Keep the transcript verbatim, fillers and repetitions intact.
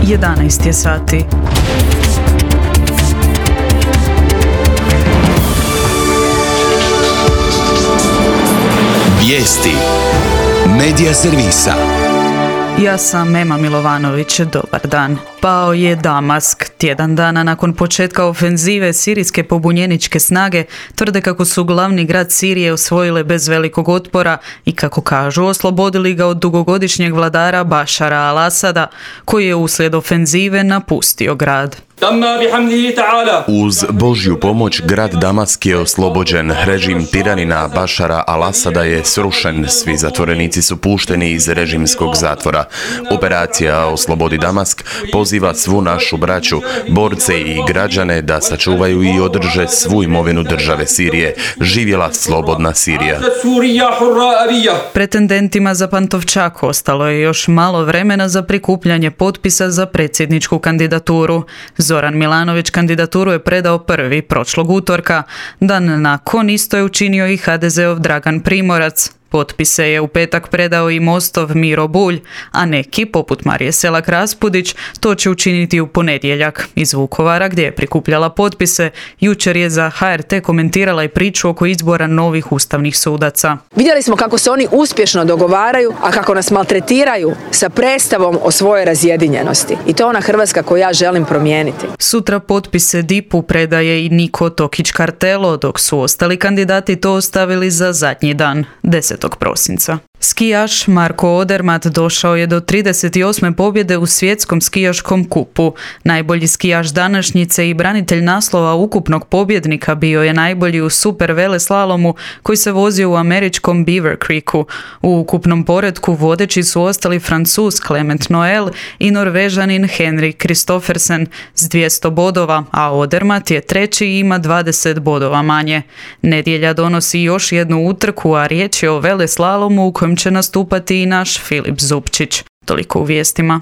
jedanaest je sati. Vijesti Medija servisa. Ja sam Ema Milovanović, dobar dan. Pao je Damask. Tjedan dana nakon početka ofenzive sirijske pobunjeničke snage tvrde kako su glavni grad Sirije osvojile bez velikog otpora i kako kažu oslobodili ga od dugogodišnjeg vladara Bašara al-Asada, koji je uslijed ofenzive napustio grad. Uz Božju pomoć grad Damask je oslobođen. Režim tiranina Bašara al-Asada je srušen. Svi zatvorenici su pušteni iz režimskog zatvora. Operacija Oslobodi Damask poziva svu našu braću, borce i građane da sačuvaju i održe svu imovinu države Sirije. Živjela slobodna Sirija. Pretendentima za Pantovčak ostalo je još malo vremena za prikupljanje potpisa za predsjedničku kandidaturu. Zoran Milanović kandidaturu je predao prvi prošlog utorka. Dan nakon isto je učinio i ha de zeov Dragan Primorac. Potpise je u petak predao i Mostov Miro Bulj, a neki, poput Marije Selak Raspudić, to će učiniti u ponedjeljak. Iz Vukovara, gdje je prikupljala potpise, jučer je za ha er te komentirala i priču oko izbora novih ustavnih sudaca. Vidjeli smo kako se oni uspješno dogovaraju, a kako nas maltretiraju sa predstavom o svojoj razjedinjenosti. I to je ona Hrvatska koju ja želim promijeniti. Sutra potpise dipu predaje i Niko Tokić Kartelo, dok su ostali kandidati to ostavili za zadnji dan, desetog prosinca. Skijaš Marko Odermatt došao je do trideset osme pobjede u svjetskom skijaškom kupu. Najbolji skijaš današnjice i branitelj naslova ukupnog pobjednika bio je najbolji u super veleslalomu koji se vozio u američkom Beaver Creeku. U ukupnom poretku vodeći su ostali Francuz Clement Noel i Norvežanin Henrik Kristoffersen s dvjesto bodova, a Odermatt je treći i ima dvadeset bodova manje. Nedjelja donosi još jednu utrku, a riječ je o veleslalomu u kojem će nastupati i naš Filip Zupčić. Toliko u vijestima.